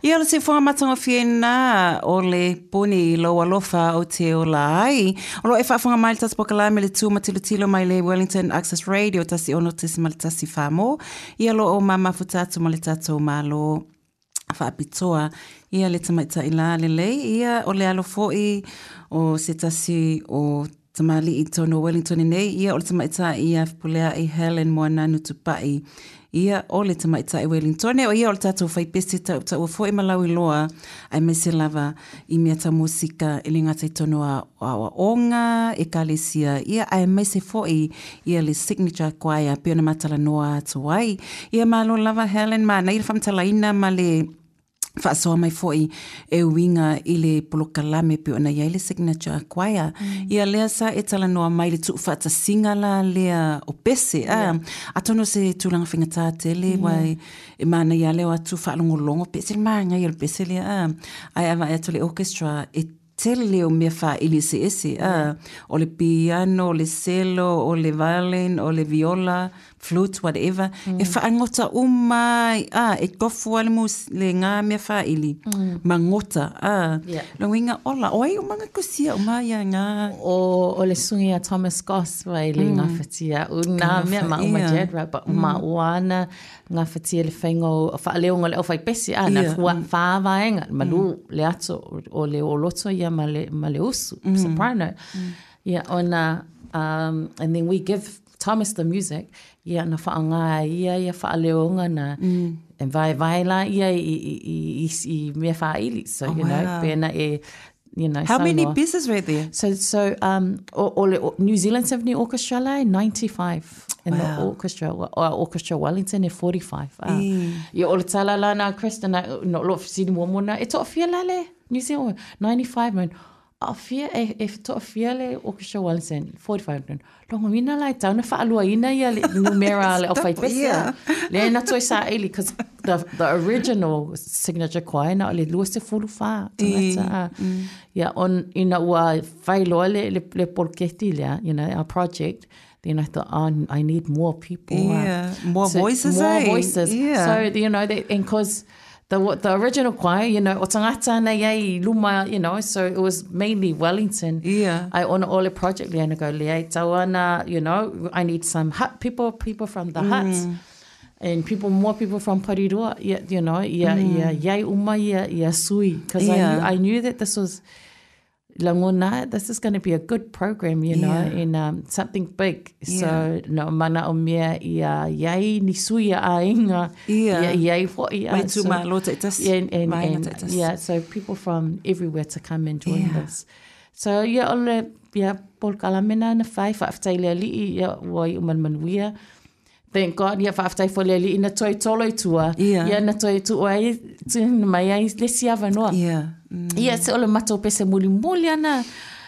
Ia o le sifoga matagofieina o le puni i lou alofa o te ola ai. O loo e faafoga mai le tasi pokalame le tu matilotilo mai le Wellington Access Radio tasi ono tesima le tasi famo. Ia lo o mamafuta atu ma le tatou malo faapitoa ia le tamaitai la lelei ia o le alo fo'i o se tasi o tamali'i tonu o Wellington nei ia o le tamaitai ia Fepuleai Helen Moananu Tupai ia o le tamaitai Wellington o ia o le tatou faipese tautaua fo'i ma lauiloa aemaise lava i mea tau musika e le gata i tonu a aoaoga ekalesia ia aemaise fo'i ia le signature choir pei ona matalanoa atu ai ia malo lava Helen manaia le faamatalaina ma le faasoa mai fo'i e uiga i le polokalame pei ona iai le signature choir ia lea sa e talanoa mai le tuufaatasiga la lea o pese a atonu o se tulaga faigatā tele ua e e manaia lea o atu faalogologo pe ese le magaia o le pese lea a ae avaai atu le orchestra e tele o mea faaili eseese a o le piano o le cello o le violin o le viola flute whatever e faagota uma ai a e tofu ai le mus le ngā mea faaili magota a Yeah. logoina ola o ai uma gakusia uma ia ngā O, o le sugi a Thomas Goss vai le ngawhatia u nā mea ma uma Ia. Jadra but ma uana ngawhatia le whainga o whaaleonga le au whaipesi a na Ia. fua whāwaenga malu le ato o le oloto ia ma le, ma le usu soprano ia ona um, and then we give Thomas the music ia na whaanga ia ia whaaleonga na E vaevae la ia i, i, i, i, i mea whaili. So, Oh, you know, wow. pena e, you know, How many saunoa. pieces were there? So, so um, o, o le o, New Zealand Symphony Orchestra la, ninety-five in the Wow. orchestra, o, Orchestra Wellington e forty-five. Ah. Ia, o le tala la na Kristen, na, no, lo sini muamua e to'afia la le New Zealand, ninety-five man. Afia e, e to'afia le Orchestra Wellington, forty-five man. Longo ina la e tau na whaalua ina ia le numera le o Stop, whaipese. yeah. Le na toi sa ili, because the, the original signature choir na o le lua se fulu wha. Tangata, ah. Yeah, on, ina ua whailoa le, le, le poloketi lea, you know, our project. Then I thought, oh, I need more people. ah. Yeah, more voices, More eh? voices. Yeah. So, you know, they, and cause the, the original choir, you know, o tangata na iai luma, you know, so it was mainly Wellington. Yeah. I on all the project lea na go lea tauana, you know, I need some hut people, people from the huts. And people, more people from Porirua, yeah, you know, yeah, yeah, yeah, uma, yeah, yeah, sui. Because Yeah. I knew, I knew that this was, langona, this is going to be a good program, you know, Yeah. and um, something big. Yeah. So, no, mana o mea ia iai ni sui a ainga. Yeah. Ia iai fo ia. Mai So- tūmālo taitas. Yeah, and, and, Maenga and, taitas. yeah, so people from everywhere to come and join Yeah. this. So, yeah, o le, yeah, polokalame na na fai, whaaftai le ali'i, ia, ua i umanmanuia. Thank God, ia, whaaftai fo le ali'i, na toi tolo i tua. Yeah. Ia, na toi tua ai, tu mai ai, le siava noa. Yeah. Mm. Ia, se o le matou pese muli muli ana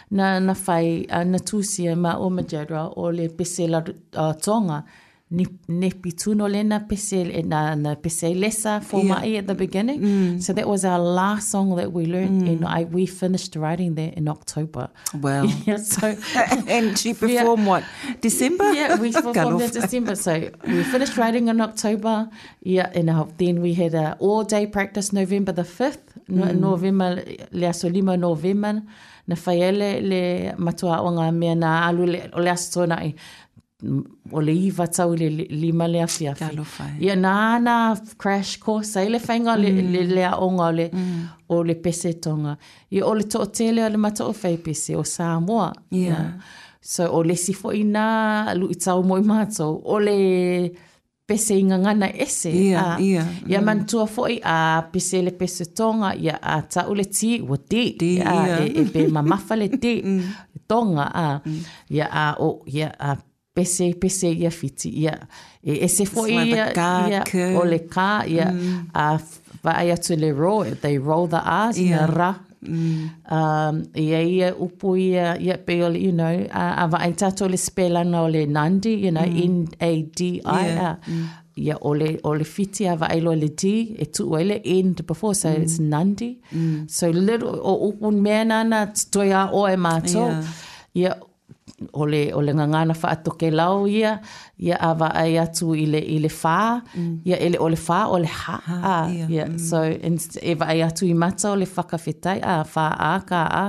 na, na whai, uh, na tūsia ma o Majadra o le pese la uh, Tonga. Ni, nepi tuno le na pese, e na, na pese lesa for Yeah. mai at the beginning. Mm. So that was our last song that we learned, mm. and I, we finished writing that in October. Wow. Yeah, so And she performed what? December? Yeah, we performed in December. So we finished writing in October. Yeah, and uh, then we had a all-day practice November the fifth. No, mm. November, le aso lima November. Na whaiele le matua o ngā mea na alu le, o le aso tōna i. O le iwa tau le lima le afiafi. Talofa. Ia, nā nā crash course, ai le whainga mm. le, le, le aonga o le, mm. o le pese tonga. Ia, o le to'otele o le matua o whai pese o Samoa. Yeah. Ia. So, o le sifo i nā lui tau moi mātou, o le pese i ngangana ese. Ia, Ah, ia. Ia mantua foi a pese le pese tonga, ia a tau le ti, ua ti. Ti, Ia, ia. e, e pe mamafa le ti. Tonga, a. Ia, a, o, ia, a pese, pese ia fiti, ia. E ese foi like the ia, ka, ia, ke. o le ka, ia, a vaai atu le roll, they roll the R's, Ia. ia ra. Um, ia ia upu ia, ia pe o le, you know, a, a vaai tātou le spelanga o le Nandi, you know, N A D I, a, ia o le, o le fiti a vaai loa le D, e tuu ai le N before, so it's Nandi. So little, o upu mea nana, toi a oe mātou. Yeah. Ia, o le, o le ngangana whaatoke lau ia, ia a vaai atu i le, i le whā, ia ele o le whā o le ha, Ha, a, ia, ia. So, inst, e vaai atu i mata o le whakawhetai, a whā a ka a,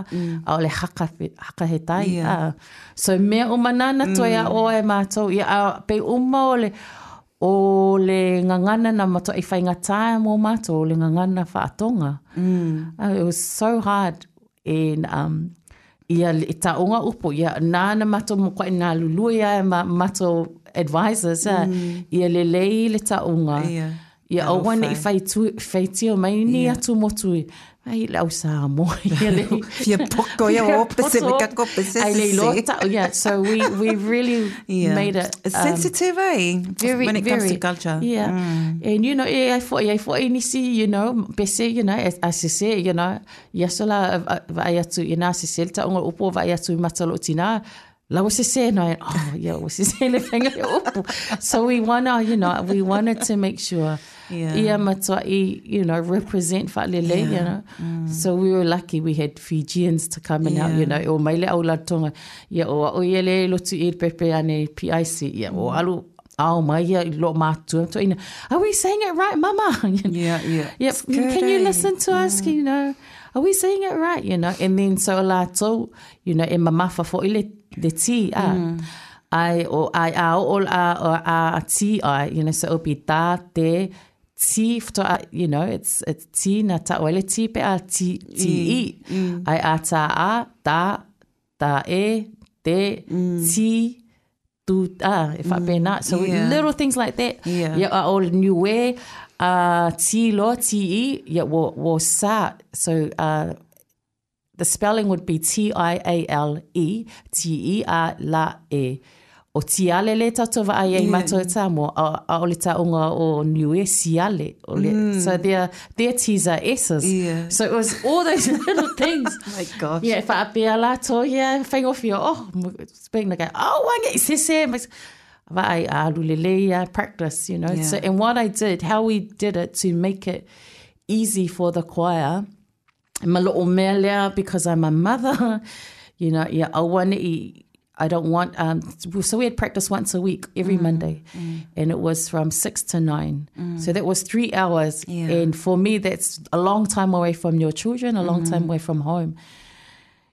a o le haka, hakahetai, Ia. a. So, mea uma nana toi a oe mātou, ia, a, pe uma o le, o le ngangana na matua i whaingatā mō mātou, o le ngangana whaatonga. Mm. Uh, it was so hard in, um, ia le taonga upo, ia nāna matou mo koe nā lulua ia ma matou advisors, mm. ia le lei le taonga. Ia. Ia Alofa. aua ne i whaitu, whaitio mai ni Ia. atu motu i, ai le au Samoa. Ia le, Fia poko ia o pese me kako pese Ai le se. loa tau, yeah. So we, we really Yeah. made it. It's um, sensitive, eh? very, when it comes very, to culture. Yeah. And, you know, e ai fo, ai fo e nisi, you know, pese, you know, a sese, you know, ia sola vai atu, ia nā sese, le taonga upo vai atu i matalo o tina, la o sese, no, oh, yeah, o sese le whainga le upo. So we wanna, you know, we wanted to make sure Yeah. ia matua i, you know, represent whaalele, Yeah. you know. So we were lucky we had Fijians to come and help, Yeah. you know, o maile au la tonga, ia o o ia le lotu i pepe ane P I C, ia o alu, ao mai ia i lo mātua, to ina, are we saying it right, mama? You know, Yeah, yeah. Yeah, It's good, can you eh? listen to us, you know, are we saying it right, you know? And then so lātou, you know, e mamafa fo i le, le ti, a, ai, o, ai, a, o, a, o, a, ti, ai, you know, so o pi tā, te, ti, fto, a, you know, it's, it's ti, na ta, o le ti pe a, ti, ti, i, ai, a, ta, a, ta, ta, e, te, ti, tu, a, e whapena. So Yeah. little things like that. Yeah. Yeah, a o Niue, Uh, T loa, T E, yeah, wo, wo sa. So uh, the spelling would be T I A L E, T E A la E. O tiale le tato wa ai ai matou Samoa, a, a o le taonga o Niue siale. O le, mm. So their, their T's are S's. Yeah. So it was all those little things. Oh my gosh. Yeah, whaapea lātou, yeah, whaingofia, oh, speaking like, oh, wange, sese. Va ai alu lele, practice, you know. Yeah. So, and what I did, how we did it to make it easy for the choir, ma lo'o mea lea, because I'm a mother, you know, yeah, aua ne'i, I don't want, um, so we had practice once a week, every mm, Monday, mm. and it was from six to nine. Mm. So that was three hours. Yeah. And for me, that's a long time away from your children, a long mm. time away from home.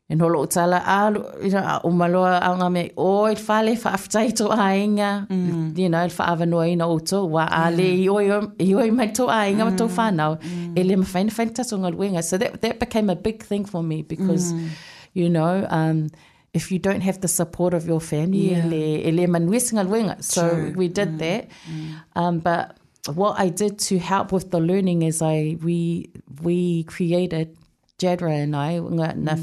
And holo tala, ah, you know, umaloa anga me, oi, whale, whaaftai tō ainga, mm. you know, whaavanoa ina o tō, wa ale, i oi, i oi mai tō ainga, ma tō whānau, mm. e le mawhaina whaina tato ngaluenga. So that, that became a big thing for me because, mm. you know, um, if you don't have the support of your family, Yeah. ele, ele manuia ngaluenga. So True. we did mm. that. Mm. Um, but what I did to help with the learning is I we we created, Jadra and I, nga, na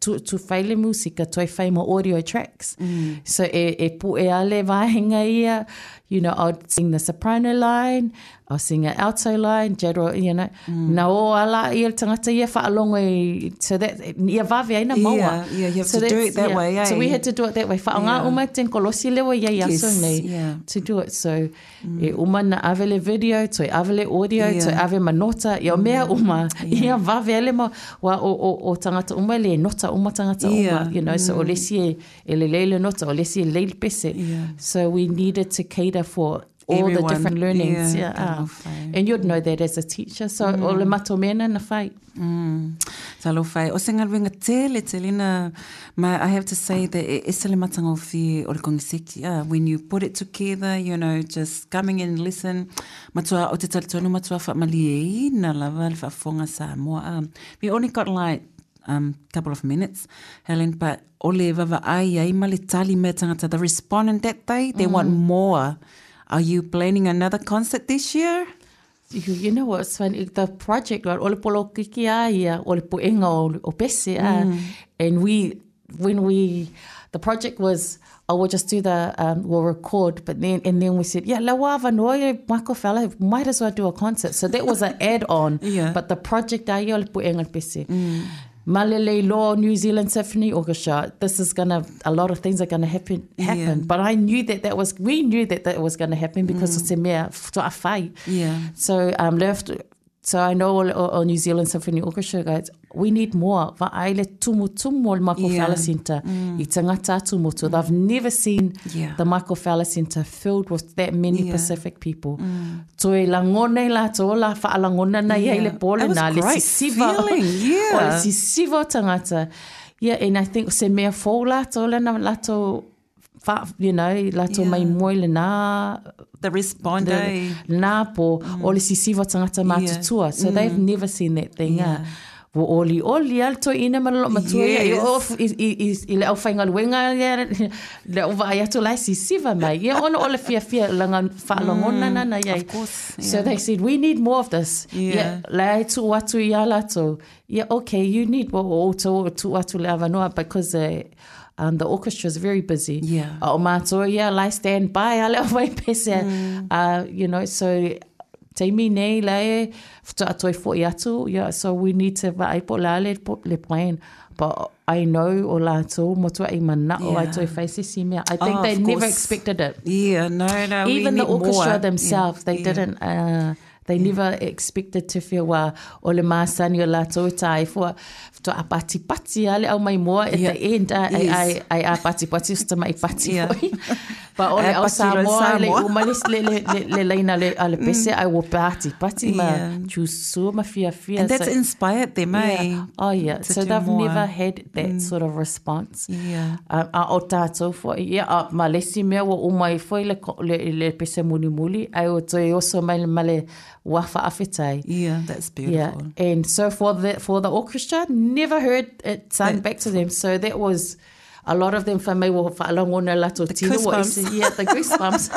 tu, tu whaile musika, toi whai mo audio tracks. Mm. So e, e pu e ale vahenga ia, you know, I'd sing the soprano line, I'll sing an alto line, Jadra, you know, mm. na o ala ia tangata ia whaalongo i, so that, ia wawe aina maua. Yeah, yeah, you have So to do it that yeah. way, eh? So we had to do it that way. Whaonga Yeah. uma ten kolosi lewa ia ia Yes, so nei yeah. to do it. So mm. e uma na avele video, toi avele audio, Yeah. toi ave manota, ia mea uma, ia wawe ale ma, wa o, o, o tangata uma le nota uma tangata Yeah. uma, you know, mm. so o lesi e, e le leile nota, o lesi e leile pese. Yeah. So we needed to cater for all Everyone. the different learnings. Yeah, Yeah. ah. talofa. And you'd know that as a teacher. So mm. o le mato mena na whai. Mm. Talofa. O se ngaluenga tele tele na, ma, I have to say that e ese le matanga o fie o le kongiseki. Ah, when you put it together, you know, just coming and listen. Matua, o te talitonu matua whaamalie na lava le whaafonga Samoa. Ah, we only got like um, couple of minutes, Helen, but o le vava ai ai ma le tali mea tangata, the respondent that day, they mm. want more. Are you planning another concert this year? You, you know what's funny? The project, right, o le polo kiki a ia, o le poenga o, o pese, ah, mm. and we, when we, the project was, oh, we'll just do the, um, we'll record, but then, and then we said, yeah, la wava noa, Michael Fowler, might as well do a concert. So that was an add-on, Yeah. but the project a ia, o le poenga o pese. Mm. Malele Law, New Zealand Symphony Orchestra, this is gonna, a lot of things are gonna happen, happen. Yeah. But I knew that that was, we knew that that was gonna happen because mm. o te mea, toa whai. Yeah. So um, left, so I know all, all, all New Zealand Symphony Orchestra guys, we need more. Va ai le tumu tumu o le Michael Yeah. Fowler Centre. Mm. I tangata atu motu. They've never seen Yeah. the Michael Fowler Centre filled with that many Yeah. Pacific people. Mm. Toi langona i lātou, la whaalangona na ia i le Yeah. pole That was na, le great sisiva. feeling, yeah. O le sisiva o tangata. Yeah, and I think se mea fō lātou, lena lātou, wha, you know, lātou Yeah. mai moe le nā, The respond, eh? nā po, mm. o le sisiva tangata mātutua. So mm. they've never seen that thing. Yeah. Ah. Wo oli oli al toi ina ma lo matua ia, Yes. i o i i i i le au whaingaluenga ia, le au vai atu lai sisiva mai. Ia ona o le fia fia langa whaalongona mm, na ia. Of course, So yeah. they said, we need more of this. Yeah. Yeah, lai tu atu ia lātou. Yeah, okay, you need mo o tō tu atu le avanoa because uh, um, the orchestra is very busy. Yeah. O mātou, yeah, lai stand by, ale o vai pese. Mm. Uh, you know, so te mi nei lai whata atoi fo i atu, yeah, so we need to vaai po la le, po, le plan. But I know o lātou, motua i mana o Yeah. ai toi whaisisi si mea. I think Oh, they of never course. expected it. Yeah, no, no. we Even the need orchestra more. themselves, Yeah. they Yeah. didn't, uh, they yeah. never expected to feel wa o le māsani o lātou tai fua to a pati pati ale au mai moa at Yeah. the end ai Yes. ai ai a pati pati o mai pati Yeah. foi. But o le Ai au pati lo Samoa le Samoa. uma le le le le, le leina le ale pese ai wo pati pati ma Yeah. chusu ma fia fia. And that's So- inspired them, eh? Yeah. Oh yeah. to So do they've more. never had that sort of response. Yeah. Um, a o tātou foi, ia, a ma lesi mea wa o mai foi le, ko- le, le pese muli muli, ai o toi oso mai le male wafa awhetai. Yeah, that's Yeah, beautiful. and so for the for the orchestra, never heard it sung back to them. So that was a lot of them for me were whaalangona lato tino wa goosebumps. ese- Yeah, the goosebumps.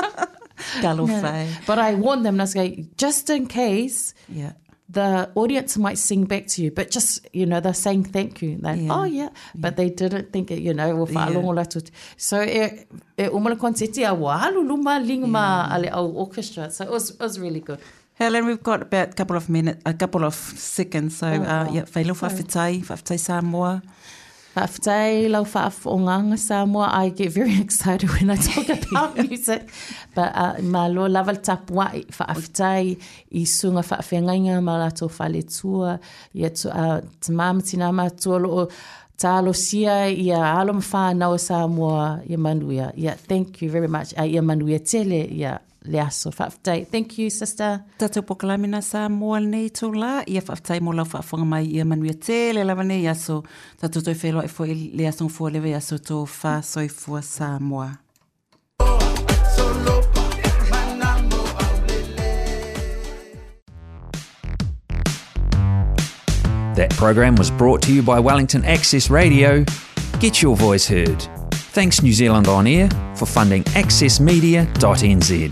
Talofa e. But I warned them, and I was like, just in case Yeah. the audience might sing back to you, but just, you know, they're saying thank you. Like, Yeah. oh, yeah. But they didn't think it, you know, ua faalogo latou. So e, e uma le konseti a ua alu luma liga ma a le au orchestra. So it was, it was really good. Helen, we've got about a couple of minutes, a couple of seconds. So, uh, yeah, whailo whawhitai, whawhitai Samoa. Fa'afetai lau fa'afo'ogaga Samoa. I get very excited when I talk about music. But uh, malo lava le tapua'i fa'afetai i suga fa'afeagaiga ma latou faletua ia tu, uh, tamā ma tinā matua lo'o talosia ia alo ma whānau o Samoa ia manuia. Yeah, thank you very much. Uh, ia manuia tele ia le aso. Fa'afetai. Thank you, sister. Tatou polokalame Samoa lenei itulā, ia fa'afetai mo lau fa'afofoga mai ia manuia tele lava nei aso. Tatou toe feiloai foi le aso gafua le vaiaso tofa soifua Samoa. Solopa, manamo aulele. That program was brought to you by Wellington Access Radio. Get your voice heard. Thanks New Zealand On Air for funding access media dot n z.